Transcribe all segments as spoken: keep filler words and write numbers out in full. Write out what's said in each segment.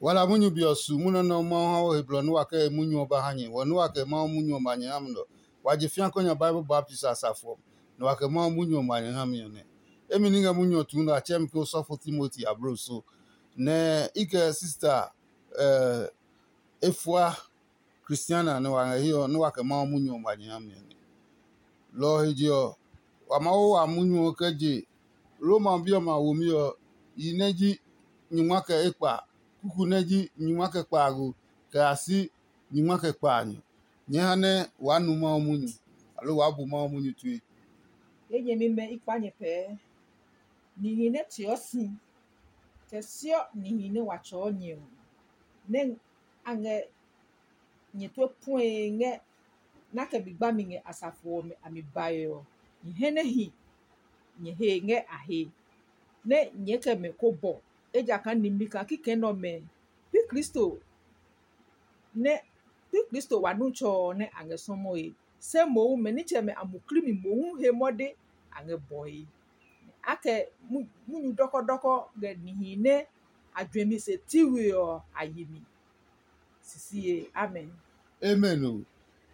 Wala munyu be ɔ su munyu nɛ Mawu ha we he blɔ nɛ wa kɛ he munyu ɔ ba ha nyɛ, wɔ nɛ wa kɛ Mawu munyu ɔ ma nyɛ ha mi nɛ ɔ, wa je fĩa kɔ nya Bible baptisi a safo ɔ mi, nɛ wa kɛ Mawu munyu ɔ ma nyɛ ha mi ɔ nɛ. Emi nɛ i ngɛ munyu ɔ tuu nɛ a tsɛɛ mi ke osɔfo Timoti abloso, nɛ i kɛ sista e fua Kristiana nɛ wa ngɛ hiɛ ɔ, nɛ wa kɛ Mawu munyu ɔ ma nyɛ ha mi ɔ nɛ. Lɔ ɔ he je ɔ, wa maa wa munyu ɔ kɛ je Roma bi ɔmɛ a womi ɔ, yi nɛ ji nyingma kɛ ekpa, kuku nɛ ji nyingma kɛ kpaago, kɛ ya si nyingma kɛ kpaanyɔ. Nyɛɛ ha nɛ waa nu Mawu munyu, aloo waa bu Mawu munyu tue. Ye nyɛmimɛ i kpa nyɛ pɛɛ. Nihi nɛ teɔ si, kɛ siɔ nihi nɛ wa tsɔɔ nyɛ ɔ, nɛ a ngɛ nyɛ tue puɛe ngɛ nɛ a kɛ mi gbami ngɛ asafo ɔmɛ a mi bae ɔ, nyɛ hɛ nɛ hi nyɛ he ngɛ a he, nɛ nyɛɛ kɛ mɛ ko bɔ, ejakaa nimli kaa kikɛ nɛ ɔmɛ pi Kristo nɛ pi Kristo wa nu tsɔ ɔ nɛ a ngɛ sɔmɔe, se mohu mɛ nitsɛmɛ a muklii mi mohu he mɔde a ngɛ bɔe. A kɛ munyu dɔkɔdɔkɔ ngɛ nihi nɛ a juɛmi se ti we ɔ a yi mi. Sisi ye. Amen. Amen o.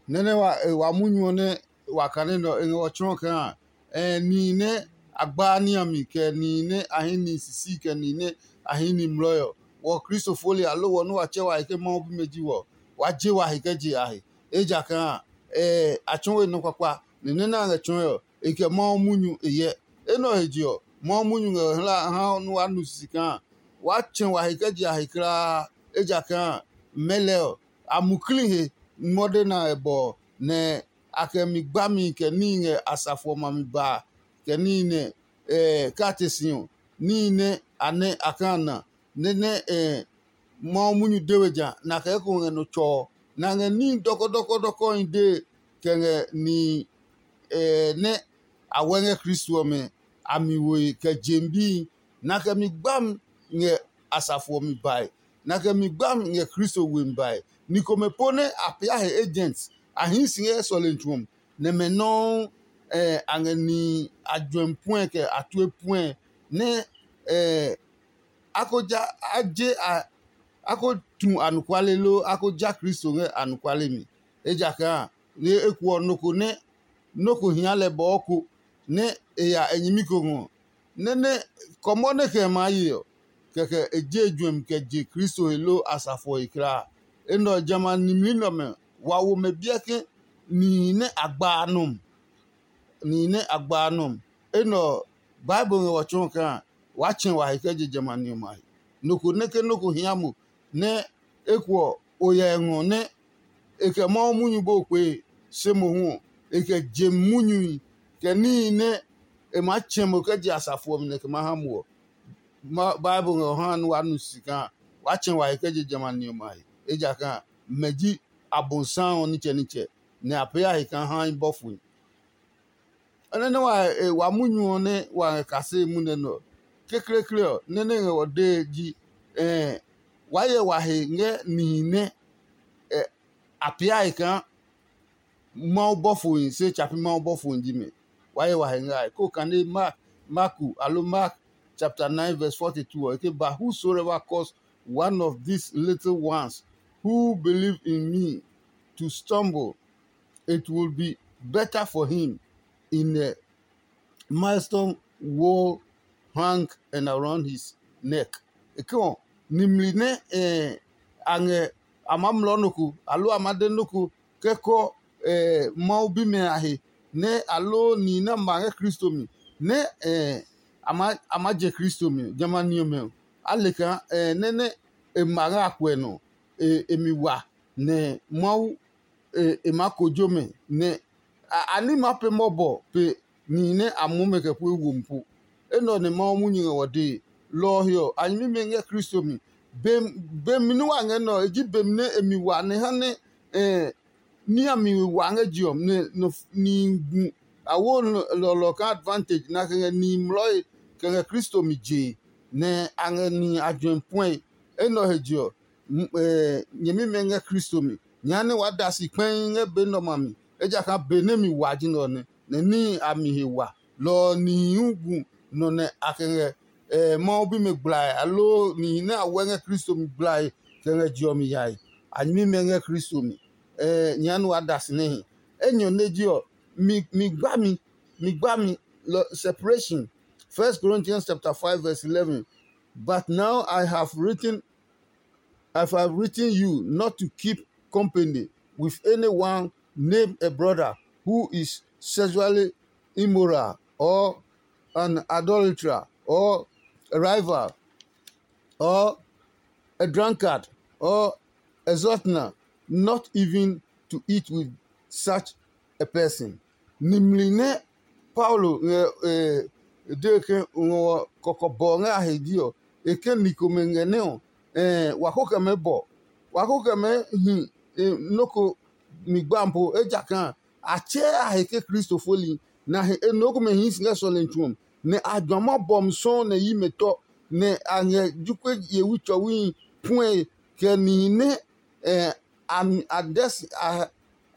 Nɛ́ nɛ wa e wa munyu ɔ nɛ wa kane nɛ ɔ, e ngɛ wɔ tsɔɔ kaa ɛ nihi nɛ a gbaa ní a mi, kɛ nihi nɛ a hɛ ni sisi, kɛ nihi nɛ a hɛ ni mlɔɔ ɔ, wɔ Kristo foli aloo wɔ nɛ wa tsɛ wa he ke Mawu bimɛ ji wɔ, wa je wa he kɛ je a he. Ejakaa ɛ a tsɔɔ we nɔ kpakpa, nɛ nɛ nɛ a ngɛ tsɔɔe ɔ, e kɛ Mawu munyu e hyɛ. Enɛ ɔ he je ɔ, Mawu munyu ngɛ hla ha nɛ wa nu sisi kaa waa tsɛ wa he kɛ je a he kulaa, ejakaa mɛlɛ ɔ, a muklii he mɔde nɛ a ngɛ bɔ ɔ, nɛ a kɛ mi gbami kɛ níhi ngɛ asafo ɔmɛ a mi ba, kɛ níhi nɛ kaa te si ɔ, níhi nɛ a nɛ a kaa na, nɛ nɛ Mawu munyu de we ja, nɛ a kɛ eko ngɛ nɔ tsɔ ɔ, nɛ a ngɛ níhi dɔkɔdɔkɔdɔkɔhi dee kɛ ngɛ nihi nɛ a wɛ ngɛ Kristo ɔmɛ a mi woe kɛ je bii, nɛ a kɛ mi gbami ngɛ asafo ɔ mi bae, nɛ a kɛ mi gbami ngɛ Kristo we mi bae. Ni komɛ po nɛ a pee a he agents, a hii si ngɛ sɔlemi tsu ɔ mi, nɛ mɛ nɔuu a ngɛ nihi a juɛmi puɛ kɛ a tue puɛ nɛ a ko ja a je a a ko tu anɔkuale loo a ko ja Kristo ngɛ anɔkuale mi. Ejakaa eko ɔ, nɔ ko nɛ nɔ́ ko hia lɛ bɔɔ ko nɛ e ya e nyɛmi ko ngɔ, nɛ nɛ kɔmɔ nɛ kɛ maa ye ɔ, kɛkɛ e je juɛmi kɛ je Kristo he loo asafo ɔ he kulaa. Enɛ ɔ, jamɛ a nimli nɛ ɔmɛ wa wo mɛ biɛ ke nihi nɛ a gba a nɔ mi. Nihi nɛ a gba a nɔ mi. Enɛ ɔ, Bible ngɛ wɔ tsɔɔ kaa waa tsɛ wa he kɛ je jamɛ a ni ɔmɛ a he. Nɔ ko nɛ ke nɔ́ ko hia mo nɛ eko ɔ, o hyɛ ngɔ nɛ e kɛ Mawu munyu bo kpee, se mohu ɔ, e kɛ je munyuhi, kɛ níhi nɛ e maa tsɛ mo kɛ je asafo ɔ mi nɛ kɛ maa ha mo ɔ, Bible ngɛ ɔ ha nɛ waa nu si kaa waa tsɛ wa he kɛ je jamɛ a ni ɔmɛ a he, ejakaa mɛ ji Abosiami ɔ nitsɛnitsɛ, nɛ a pee a he kaa haa bɔfohi. Nɔ́ nɛ wa wa munyu ɔ nɛ wa ngɛ kaseli munyu nɛ ɔ, kekleekle ɔ, nɔ́ nɛ ngɛ wɔ dee ji, waa hyɛ wa he ngɛ nihi nɛ a pee a he kaa Mawu bɔfohi, se tsa pi Mawu bɔfohi ji mɛ. Waa hyɛ wa he ngɛ a he. Koo kane Mark, Marku alo Mark chapter nine verse forty-two ɔ, e ke ba, "Whosoever cause one of these little ones who believe in me to stumble, it will be better for him in a milestone wool hang and around his neck." E ke ɔ, nimli nɛ a ngɛ a maa mlɔɔ nɔ ko, aloo a maa de nɔ ko kɛ kɔ Mawu bimɛ a he, nɛ aloo nihi nɛ a ma ngɛ Kristo mi, nɛ a maa je Kristo mi ɔ, jamɛ a ni ɔmɛ ɔ, a le kaa nɛ nɛ e ma ngɛ a kuɛ nɔ, e mi wa, nɛ Mawu e maa kojo mɛ, nɛ a ní maa pee mɔbɔ pe nihi nɛ a muɔ mɛ kɛ pue womi po. Enɛ ɔ nɛ Mawu munyu ngɛ wɔ dee. Lɔ ɔ he ɔ, a nyɛmimɛ ngɛ Kristo mi. Bemi nɛ wa ngɛ nɛ ɔ, e ji bemi nɛ e mi wa nɛ ha nɛ ní a mi wa ngɛ je ɔ, nɛ nihi gu a wo lɔlɔ kaa advantage, nɛ a kɛ ngɛ nihi mlɔe kɛ ngɛ Kristo mi jee, nɛ a ngɛ nihi a juɛmi puɛe. Enɛ ɔ he je ɔ, nyɛmimɛ ngɛ Kristo mi. Nyɛɛ ha nɛ waa da si kpɛii ngɛ be nɛ ɔmɛ a mi, ejakaa be nɛ mi wa ji nɛ ɔ nɛ, nɛ níhi a mi he wa. Lɔ ɔ nihi hu gu nɔ nɛ a kɛ ngɛ eh, Mawu bimɛ gblae, aloo nihi nɛ a wɛ ngɛ Kristo mi gblae kɛ ngɛ je ɔ mi yae. A nyɛmimɛ ngɛ Kristo mi. Eh, nyɛɛ nu wa da si nɛ hi. Enyɔ nɛ ji ɔ, mi mi gba mi, mi gba mi lɔ separation. First Corinthians chapter five verse eleven. But now I have written I have written you not to keep company with anyone named a brother who is sexually immoral or an adulterer or a rival or a drunkard or a sorcerer, not even to eat with such a person. Nimli nɛ Paulo ngɛ e de ke ngɔ kɔkɔbɔ ngɛ a he ji ɔ, e ke ni komɛ ngɛ nɛ ɔ, wa ko kɛ mɛ bɔ, wa ko kɛ mɛ hi nɔ́ ko mi gbapo, ejakaa a tsɛɛ a he ke Kristo foli, nɛ a he enɛ komɛ hii si ngɛ sɔlemi tsu ɔ mi, nɛ a juã ma bɔmi sɔuu nɛ yi mɛ tɔ, nɛ a ngɛ jokuɛ yewi tsɔwihi puɛe kɛ nihi nɛ a dɛ si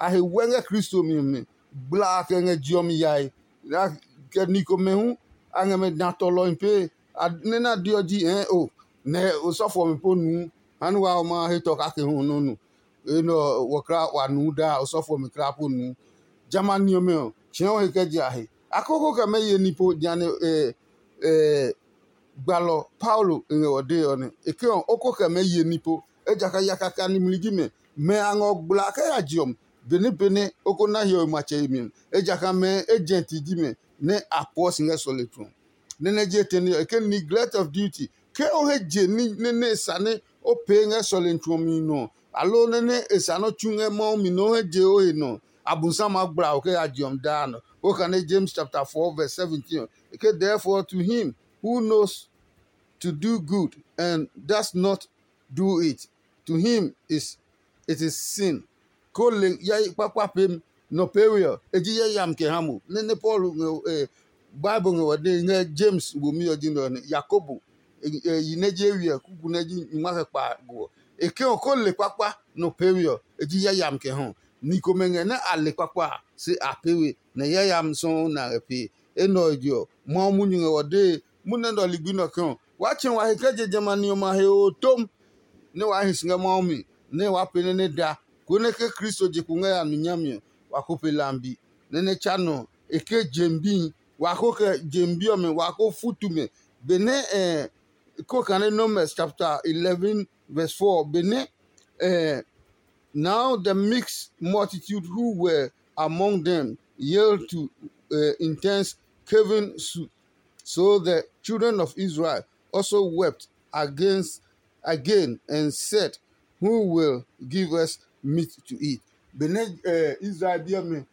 a he wɛ ngɛ Kristo mi ɔ mi. Gbla a kɛ ngɛ je ɔ mi yae, kɛ ni komɛ hu a ngɛ mɛ da tɔlɔhi pee. Nɛ na de ɔ ji hɛɛ o, nɛ osɔfo ɔmɛ po nuu, ha nɛ wa ɔ ma he tɔ kake hu nɔ nu. Enɛ ɔ, wɔ kra wa nuu daa, osɔfo ɔmɛ kra po nuu. Jamɛ a ni ɔmɛ ɔ, tsɛ̃ɛ o he kɛ je a he. A koko kɛ mɛ ye ní po jehanɛ gbalɔ Paulo e ngɛ ɔ dee ɔ nɛ. E ke ɔ, o ko kɛ mɛ ye ní po, ejakaa yaka kɛ a nimli ji mɛ. Mɛ a ngɔ gbla kɛ ya je ɔ mi, benɛ benɛ o ko na hiɔwe matsɛ yemi ɔ, ejakaa mɛ e jɛnti ji mɛ nɛ a puɔ si ngɛ sɔlemi tsu ɔ. Nɛ nɛ je tɛ nɛ ɔ, e ke neglect of duty. Ke o he je ní nɛ nɛ e sa nɛ o pee ngɛ sɔlemi tsu ɔ mi nɔ, aloo nɛ nɛ e sa nɛ o tsu ngɛ Mawu mi nɛ o he je o he nɔ, Abosiami maa gbla o kɛ ya je ɔ mi daa nɔ. O kane James chapter four verse seventeen ɔ, e ke, therefore to him who knows to do good and does not do it, to him is it is sin. Ko le yayi kpakpa pem nɔ pee we ɔ, e ji yayami kɛ ha mo. Nɛ nɛ Paulo ngɛ Bible ngɛ wɔ dee ngɛ James womi ɔ ji nɛ ɔ nɛ Yakobo yi nɛ je we ɔ kuku nɛ ji nyuma kɛ kpa go ɔ. E ke ɔ ko le kpakpa nɔ pee we ɔ, e ji yayami kɛ ha. Ni komɛ ngɛ nɛ a le kpakpa a, se a pee we, nɛ yayami sɔuu nɛ a ngɛ pee. Enɛ ɔ je ɔ, Mawu munyu ngɛ wɔ dee munyu nɛ nɔ ligbi nɛ ɔ ke ɔ, waa tsɛ wa he kɛ je jamɛ a ni ɔmɛ a he oo tom, nɛ waa hi si ngɛ Mawu mi, nɛ waa pee nɛ nɛ da, konɛ ke Kristo je kpo ngɛ ya nu nyami ɔ, wa ko pe lambi. Nɛ nɛ tsa nɔ ɔ, e ke jem bihi, wa ko kɛ jem bi ɔmɛ, wa ko futu mɛ. Benɛ ko kane Numbers chapter eleven verse four, benɛ Now the mixed multitude who were among them yelled to uh, intense caving soup. So the children of Israel also wept against again and said, who will give us meat to eat? Benɛ Israel bi ɔmɛ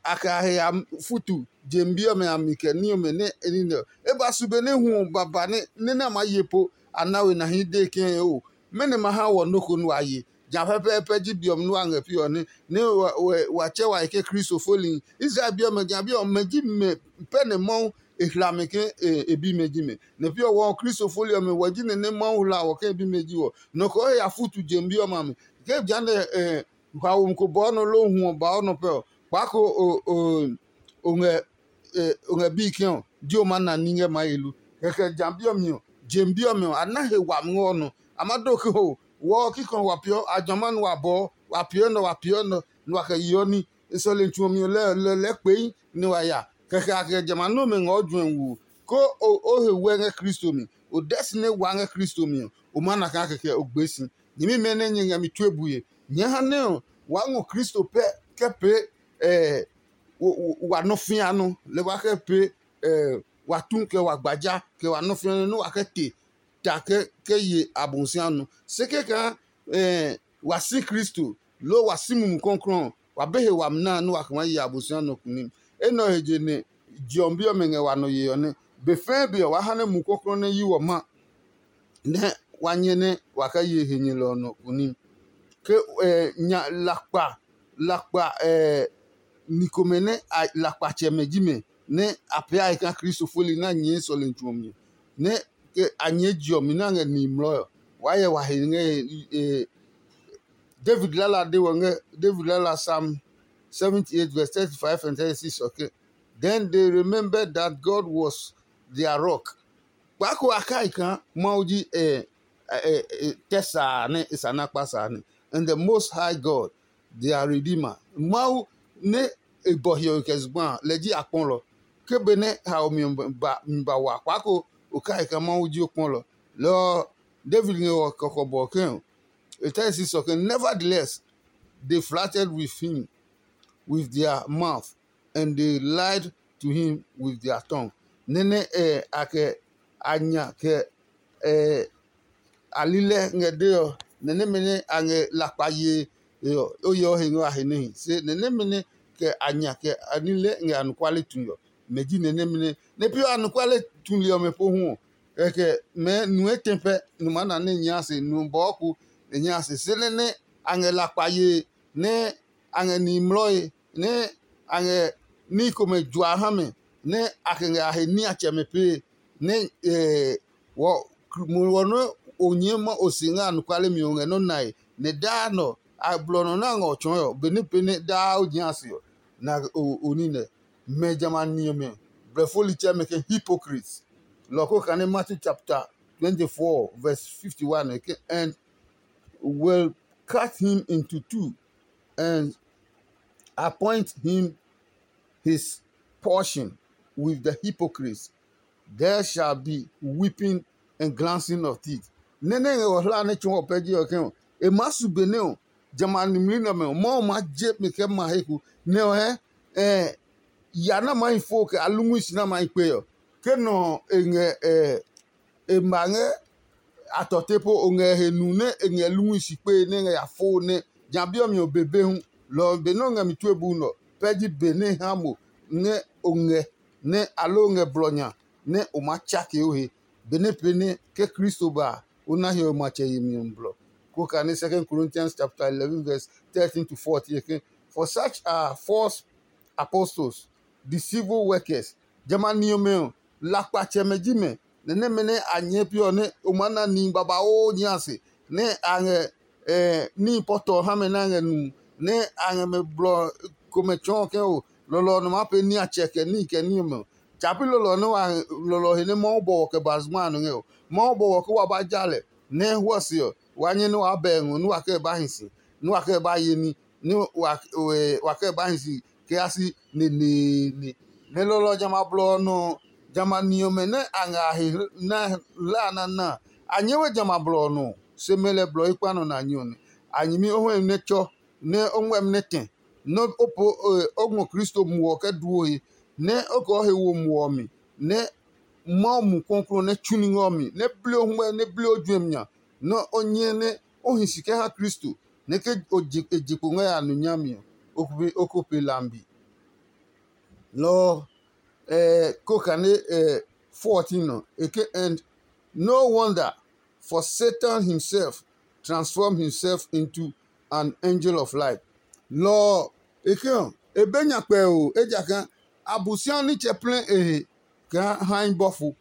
a kɛ a he ya futu je bi ɔmɛ a mi kɛ ní ɔmɛ nɛ e ní nɛ ɔ, e ba su benɛ hu ɔ baba nɛ nɛ nɛ a maa ye po a na we nahi dee ke o, mɛnɔ ma ha wɔ nɔ́ ko nɛ wa ye? Ja pɛpɛɛpɛ ji be ɔ nɛ wa ngɛ pi ɔ nɛ nɛ wa tsɛ wa yi ke Kristo foli. Israel bi ɔmɛ ja bi ɔmɛ ji mɛ pɛ nɛ Mawu e hla mɛ ke e bimɛ ji mɛ. Nɛ pi ɔ wɔ Kristo foli ɔmɛ wɔ ji nɛ nɛ Mawu hla wɔ ke e bimɛ ji wɔ. Nɔ ko he ya futu je bi ɔmɛ a mi. Ke jehanɛ haomi ko bɔɔ nɔ loo hu ɔ baɔ nɔ pɛ ɔ, kpaa ko o ngɛ o ngɛ bii kɛ ɔ, dio ma na ní ngɛ maa ye lu. Kɛkɛ ja bi ɔ mi ɔ, jem bi ɔmɛ ɔ, a na he wami ngɛ ɔ nɔ. A ma do ke ho wɔ ɔ kikɔ wa piɔ a jɔma nɛ wa bɔɔ, wa piɔ nɔ wa piɔ nɔ nɛ wa kɛ yeɔ ní. E sɔlemi tsu ɔ mi ɔ lɛ lɛ lɛɛ kpei nɛ wa ya. Kɛkɛ a kɛ jamɛ a nɔmɛ ngɛ o juɛ wu ko o he wɛ ngɛ Kristo mi. O dɛ si nɛ wa ngɛ Kristo mi ɔ, o ma na kaa kɛkɛ o gbee si. Nyɛmimɛ nɛ nyɛ ngɛ mi tue bue, nyɛɛ ha nɛ ɔ waa ngɔ Kristo pɛ kɛ pee wa nɔ fĩa nɔ, lɛ wa kɛ pee wa tu kɛ wa gbaja kɛ wa nɔ fĩa nɔ nɛ wa kɛ te ta kɛ ye Abosiami nɔ. Se kɛkaa wa si Kristo loo wa si Mumi Klɔuklɔu ɔ, wa be he wami nɛ a nɛ wa kɛ maa ye Abosiami nɔ kunim. Enɛ ɔ he je nɛ je ɔ bi ɔmɛ ngɛ wa nɔ yee ɔ nɛ. Be fɛɛ be ɔ, waa ha nɛ Mumi Klɔuklɔu nɛ yi wɔ ma nɛ wa nyɛ nɛ wa kɛ ye henyɛlɔ ɔ nɔ kunim. Ke nya lakpa lakpa ni komɛ nɛ lakpatsɛmɛ ji mɛ nɛ a pee a he kaa Kristo foli nɛ a nyɛɛ sɔlemi tsu ɔ mi, nɛ a nyɛɛ je ɔ mi nɛ a ngɛ nihi mlɔɔ ɔ, waa hyɛ wa he ngɛ David lala de wɔ ngɛ David lala Psalm seventy eight verse thirty five and thirty six ɔ ke, then they remembered that God was their rock Kpaa ko a kai kaa Mawu ji tɛ sa a nɛ e sa na kpa sa a nɛ. And the Most High God, their Redeemer. Mawu nɛ e bɔ hiɔwe kɛ zugba a, lɛ ji a kpɔlɔ. Ke benɛ haomi ɔ ba mi ba wa kpaa ko o kai kaa Mawu ji o kpɔlɔ. Lɔ ɔ, David ngɛ wɔ kɔkɔbɔ ke e ta si sɔ ke, nevertheless, they flattered with him with their mouth, and they lied to him with their tongue. Nɛ́ nɛ a kɛ a nya kɛ a lilɛ ngɛ de ɔ, nɛ nɛmɛ nɛ a ngɛ lakpa yee ɔ, o yeɔ he ngɛ a he níhi. Se nɛ nɛmɛ nɛ kɛ a nya kɛ a lilɛ ngɛ anɔkuale tue ɔ, mɛ ji nɛ nɛmɛ nɛ nɛ pi anɔkuale tuli ɔmɛ pohu ɔ, kɛkɛ mɛɛ nu etɛ pɛ nu maa na nɛ nyɛɛ a se, nu bɔɔ ko nɛ nyɛɛ a se. Se nɛ nɛ a ngɛ lakpa yee nɛ a ngɛ nihi mlɔe nɛ a ngɛ ní komɛ jua ha mɛ nɛ a kɛ ngɛ a he niatsɛmɛ pee nɛ wɔ mo wɔ nɛ o nyɛɛ ma o si ngɛ anɔkuale mi ɔ ngɛ nɔ́ nae nɛ daa nɔ a blɔ nɔ nɛ a ngɛ ɔ tsɔɔe ɔ, benɛ pee nɛ daa o nyɛɛ a se ɔ, na o ní nɛ. Mɛ jamɛ a ni ɔmɛ, blɛfo litsɛmɛ ke hypocrites. Lɔ ko kane Matthew chapter twenty-four verse fifty-one ke, and will cut him into two and appoint him his portion with the hypocrites. There shall be weeping and glancing of teeth. Nɛ́ nɛ ngɛ wɔ hla nɛ tsɔɔ pɛ ji ɔ kɛ ɔ, e maa su be nɛ ɔ, jamɛ a nimli nɛ ɔmɛ ɔ, Mawu maa je mi kɛ ma he ko nɛ ɔ hɛ ɛ ya nɛ a maa hi fo kɛ alungui si nɛ a maa hi kpe ɔ. Ke nɔ ɔ e ngɛ ɛ e ma ngɛ a tɔte po o ngɛ he nu nɛ e ngɛ lungui si kpee nɛ e ngɛ ya fo nɛ ja bi ɔ mi ɔ be be hu. Lɔ ɔ be nɛ o ngɛ mi tue bu nɛ ɔ, pɛ ji be nɛ e ha mo nɛ o ngɛ nɛ aloo o ngɛ blɔ nya nɛ o maa tsake o he. Benɛ pee nɛ ke Kristo ba a, o na hiɔwe matsɛ yemi ɔ mi blɔ. Ko kane Second Corinthians chapter eleven verse thirteen to fourteen ke, for such are false apostles, deceitful workers. Jamɛ a ni ɔmɛ ɔ, lakpatsɛmɛ ji mɛ, nɛ nɛmɛ nɛ a nyɛɛ pi ɔ nɛ o maa na nihi babauu nyɛ a se, nɛ a ngɛ níhi pɔtɔ ha mɛ nɛ a ngɛ nu, nɛ a ngɛ mɛ blɔ komɛ tsɔɔ ke o lɔlɔ ɔ nɔ maa pee niatsɛ kɛ níhi kɛ ní ɔmɛ ɔ. Tsa pi lɔlɔ ɔ nɛ wa lɔlɔ he nɛ Mawu bɔ wɔ kɛ ba zugba a nɔ ngɛ ɔ. Mawu bɔ wɔ ke wa ba ja lɛ nɛ e huɔ se ɔ, wa nyɛ nɛ waa bɛ ngɔ nɛ wa kɛ ba hi si, nɛ wa kɛ ba ye ní, nɛ wa kɛ ba hi si kɛ ya si neneene. Nɛ lɔlɔ ɔ jamɛ a blɔ ɔ nɔ ɔ, jamɛ a ni ɔmɛ nɛ a ngɛ a he na hla a nana a, a nyɛɛ we jamɛ a blɔ ɔ nɔ ɔ, se mɛ lɛ blɔ ekpa nɔ nɛ a nyɛ ɔ nɛ. A nyɛmi o huɛmi nɛ tsɔ, nɛ o ngmɛmi nɛ tɛ, nɛ o po o ngɔ Kristo muɔ ɔ kɛ duo he, nɛ o kɛ o he wo muɔ ɔ mi, nɛ Mawu Mumi Klɔuklɔu nɛ tsu ní ngɛ ɔ mi, nɛ bli o huɛ, nɛ bli o juɛmi nya, nɛ o nyɛ nɛ o hi si kɛ ha Kristo, nɛ ke o je e je kpo ngɛ ya nu nyami ɔ, o ko pe lambi. Lɔ ɔ, eh, ko kane eh, fourteen nɔ, e ke, and no wonder, for Satan himself transform himself into an angel of light. Lɔ ɔ, e ke ɔ, e be nya kpɛo, ejakaa Abosiami nitsɛ plɛ e he kaa hae bɔfo.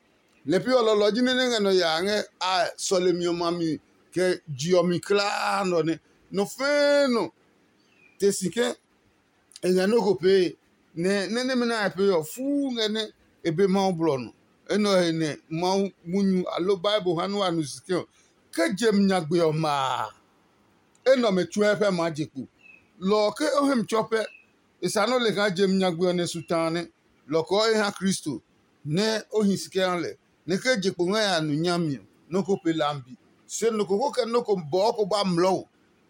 Lɛ pi ɔ lɔlɔ ji nɛ nɛ ngɛ nɔ ya ngɛ a sɔlemi ɔmɛ a mi kɛ je ɔ mi kulaa nɔ nɛ nɔ fɛɛ nɔ te si ke e ngɛ nɔ́ ko pee, nɛ nɛ nɛmɛ nɛ a pee ɔ fuu ngɛ nɛ e be Mawu blɔ nɔ. Enɛ ɔ he nɛ Mawu munyu aloo Bible ha nɛ wa nu si ke ɔ, ke je mi nyagbe ɔ ma a, enɛ ɔmɛ tsuɛ pɛ maa je kpo. Lɔ ɔ ke o hɛ mi tsɔ pɛ, e sa nɔ́ le kaa je mi nyagbe ɔ nɛ su ta a nɛ. Lɔ ɔ kɔɔ e ha Kristo, nɛ o hi si kɛ ha lɛ, nɛ ke je kpo ngɛ ya nu nyami ɔ, nɔ́ ko pe lambi. Se nɔ ko ko kɛ nɔ́ ko bɔɔ ko ba mlɔɔ o,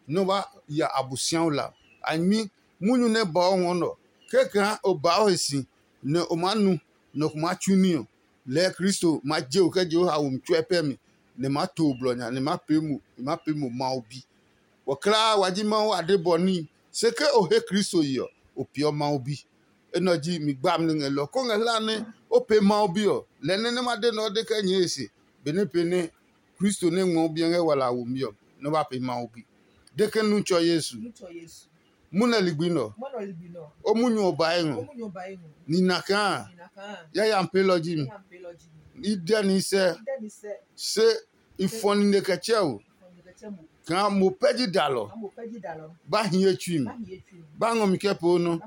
nɛ o ba ya Abosiami la. A nyɛmi munyu nɛ ba o ngɔ nɛ ɔ, kɛkaa o ba o he si, nɛ o maa nu, nɛ o ko maa tsu ní ɔ, lɛɛ Kristo ma je o kɛ je o haomi tsuɛ pɛ mi, nɛ ma to o blɔ nya, nɛ ma pee mo, nɛ ma pee mo Mawu bi. Wɔ kulaa wa ji Mawu ade bɔ níhi, se ke o he Kristo ye ɔ, o peeɔ Mawu bi. Enɛ ɔ ji mi gbami nɛ ngɛ lɔ ko ngɛ hlaa nɛ o pee Mawu bi ɔ, lɛ nɛ nɛ ma de nɛ o de kɛ nyɛɛ e se, benɛ pee nɛ Kristo nɛ ngmɔ bi ɔ ngɛ wala a womi ɔ, nɛ o ba pee Mawu bi. De ke nu tsɔ Yesu. Munɛ ligbi nɛ ɔ, o munyu ɔ ba ngɔ. Nina kaa yayami peelɔ ji mi. I dɛ ni sɛ, se i fɔ nine kɛ tsɛ o. Kaa mo pɛ ji dalɔ ba hi ye tsui mi, ba ngɔ mi kɛ poo nɔ,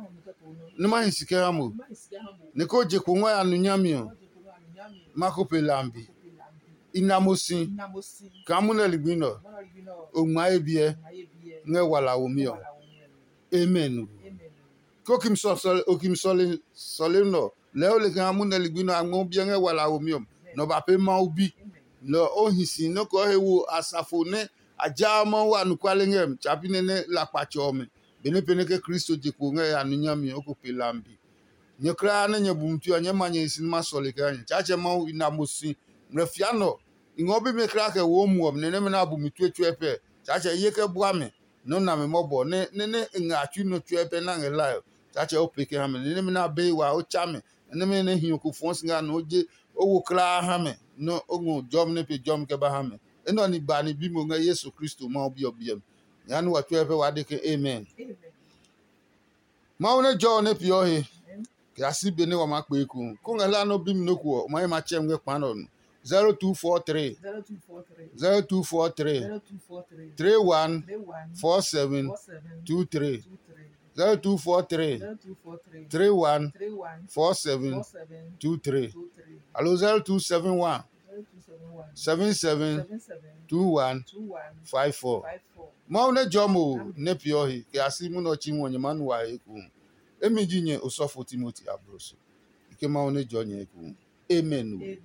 nɛ ma hi si kɛ ha mo. Nɛ ko je kpo ngɔ ya nu nyami ɔ, ma ko pe lambi. I na mo si kaa munɛ ligbi nɛ ɔ, o ngma ye biɛ ngɛ wala womi ɔ. Amen. Ko kim sɔle nɔ lɛɛ o le kaa munɛ ligbi nɛ a ngmɔ biɛ ngɛ wala womi ɔ, nɔ ba pee Mawu bi. Nɔ o hi si nɔ ko he wo asafo nɛ a ja Mawu anɔkuale ngɛ tsapi nɛ nɛ lakpatsɛ ɔmɛ. Benɛ pɛnɛ ke Kristo je kpo ngɛ ya nu nyami ɔ, o ko pe lambi. Nyɛ kulaa nɛ nyɛ bu mi tue ɔ, nyɛɛ ma nyɛ hi si nɛ ma sɔle kaa nyɛ. Tsaatsɛ Mawu i na mo si ngmlɛ fia nɔ. I ngɔ bimɛ kulaa kɛ wo muɔ mi nɛ nɛmɛ nɛ a bu mi tue tsuɛ pɛ. Tsaatsɛ ye kɛ bua mɛ nɔ na mɛ mɔbɔ nɛ nɛ nɛ e ngɛ a tsui nɔ tsuɛ pɛ na ngɛ hlae ɔ. Tsaatsɛ o pee kɛ ha mɛ nɛ nɛmɛ nɛ a be wa o tsa mɛ nɛ nɛmɛ nɛ hiɔ ko fɔɔ si ngɛ a nɔ o je o wo kulaa ha mɛ nɔ o ngɔ jɔmi nɛ pe jɔmi kɛ ba ha mɛ. Enɛ ɔ ni ba ni bi mo ngɛ Yesu Kristo Mawu bi ɔ biɛ mi. Nya ni wa tsuɛ pɛ wa de ke amen. Mawu nɛ jɔ ɔ nɛ peeɔ he kɛ ya si be nɛ wa maa kpee eko. Ko ngɛ hla nɔ bimi nɔ ko ɔ, o ma ye ma tsɛ ngɛ kpa nɔ nu. zero two four three zero two four three zero two four three zero two four three three one three one four seven four seven two three two three zero two four three zero two four three three one three one four seven four seven two three two three alo zero two seven one zero two seven one seven seven seven seven two one two one five four. Five four. Mawu nɛ jɔ mo nɛ peeɔ he kɛ ya si munɔ tsi ngɔ nyɛ ma nu wa he eko. Emi ji nyɛ osɔfo Timoti abloso. Ike Mawu nɛ jɔ nyɛ eko. Amen. Amen.